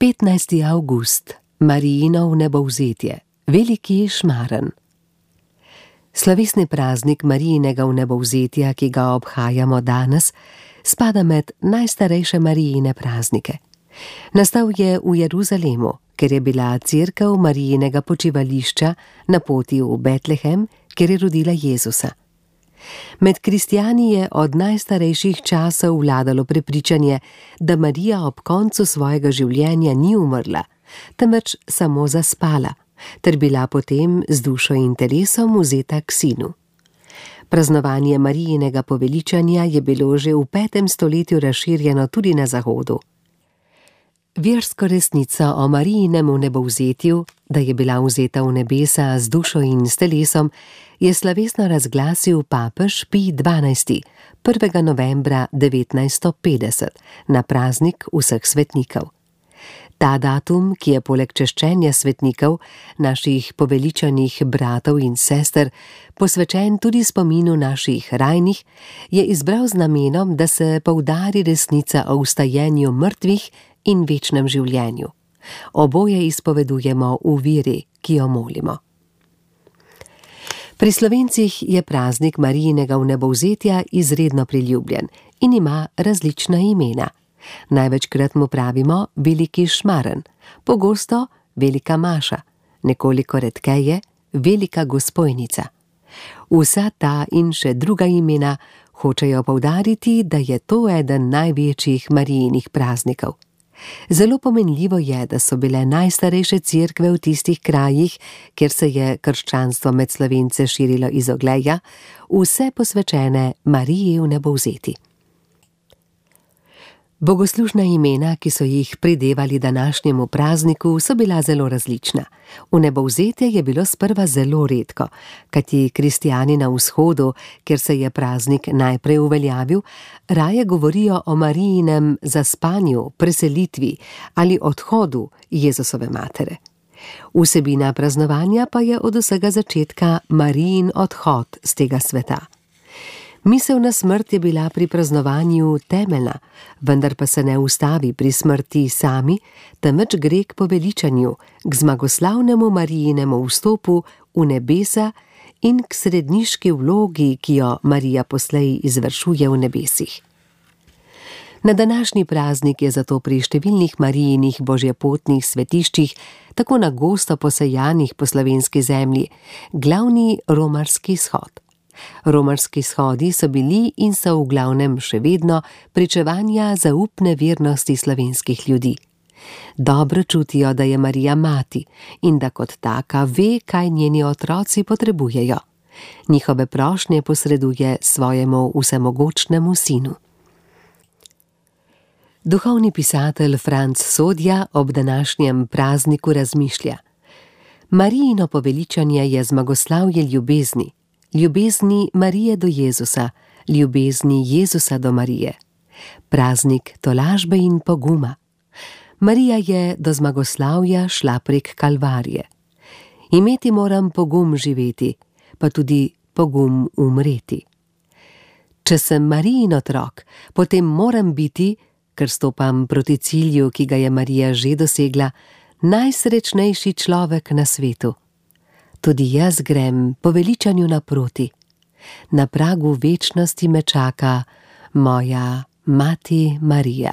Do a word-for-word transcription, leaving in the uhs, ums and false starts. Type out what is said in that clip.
petnajsti avgust, Marijino vnebovzetje, veliki šmaren. Slovesni praznik Marijinega vnebovzetja, ki ga obhajamo danes, spada med najstarejše Marijine praznike. Nastal je v Jeruzalemu, ker je bila cerkev Marijinega počivališča na poti v Betlehem, kjer je rodila Jezusa. Med kristjani je od najstarejših časov vladalo prepričanje, da Marija ob koncu svojega življenja ni umrla, temveč samo zaspala, ter bila potem z dušo in telesom vzeta k sinu. Praznovanje Marijinega poveličanja je bilo že v petem stoletju razširjeno tudi na Zahodu. Versko resnico o Marijinem vnebovzetju, da je bila vzeta v nebesa z dušo in s telesom, je slovesno razglasil papež Pij dvanajsti prvega novembra devetnajststo petdeset na praznik vseh svetnikov. Ta datum, ki je poleg češčenja svetnikov, naših poveličanih bratov in sester, posvečen tudi spominu naših rajnih, je izbral z namenom, da se poudari resnica o vstajenju mrtvih in večnem življenju. Oboje izpovedujemo v veri, ki jo molimo. Pri Slovencih je praznik Marijinega vnebovzetja izredno priljubljen in ima različna imena. Največkrat mu pravimo veliki šmaren, pogosto velika maša, nekoliko redkeje velika Gosposnica. Vsa ta in še druga imena hočejo poudariti, da je to eden največjih Marijinih praznikov. Zelo pomenljivo je, da so bile najstarejše cerkve v tistih krajih, kjer se je krščanstvo med Slovence širilo iz Ogleja, vse posvečene Mariji vnebovzeti. Bogoslužna imena, ki so jih pridevali današnjemu prazniku, so bila zelo različna. Vnebovzetje je bilo sprva zelo redko, kajti kristjani na vzhodu, kjer se je praznik najprej uveljavil, raje govorijo o Marijinem zaspanju, preselitvi ali odhodu Jezusove matere. Vsebina praznovanja pa je od vsega začetka Marijin odhod z tega sveta. Misel na smrt je bila pri praznovanju temeljna, vendar pa se ne ustavi pri smrti sami, temveč gre k poveličanju, k zmagoslavnemu Marijinemu vstopu v nebesa in k sredniški vlogi, ki jo Marija poslej izvršuje v nebesih. Na današnji praznik je zato pri številnih Marijinih božjepotnih svetiščih, tako na gosto posejanih po slovenski zemlji, glavni romarski shod. Romarski shodi so bili in so v glavnem še vedno pričevanja zaupne vernosti slovenskih ljudi. Dobro čutijo, da je Marija mati in da kot taka ve, kaj njeni otroci potrebujejo. Njihove prošnje posreduje svojemu vsemogočnemu sinu. Duhovni pisatelj Franc Sodja ob današnjem prazniku razmišlja: Marijino poveličanje je zmagoslavje ljubezni, ljubezni Marije do Jezusa, ljubezni Jezusa do Marije. Praznik tolažbe in poguma. Marija je do zmagoslavja šla prek Kalvarije. Imeti moram pogum živeti, pa tudi pogum umreti. Če sem Marijin otrok, potem moram biti, ker stopam proti cilju, ki ga je Marija že dosegla, najsrečnejši človek na svetu. Tudi jaz grem poveličanju naproti. Na pragu večnosti me čaka moja mati Marija.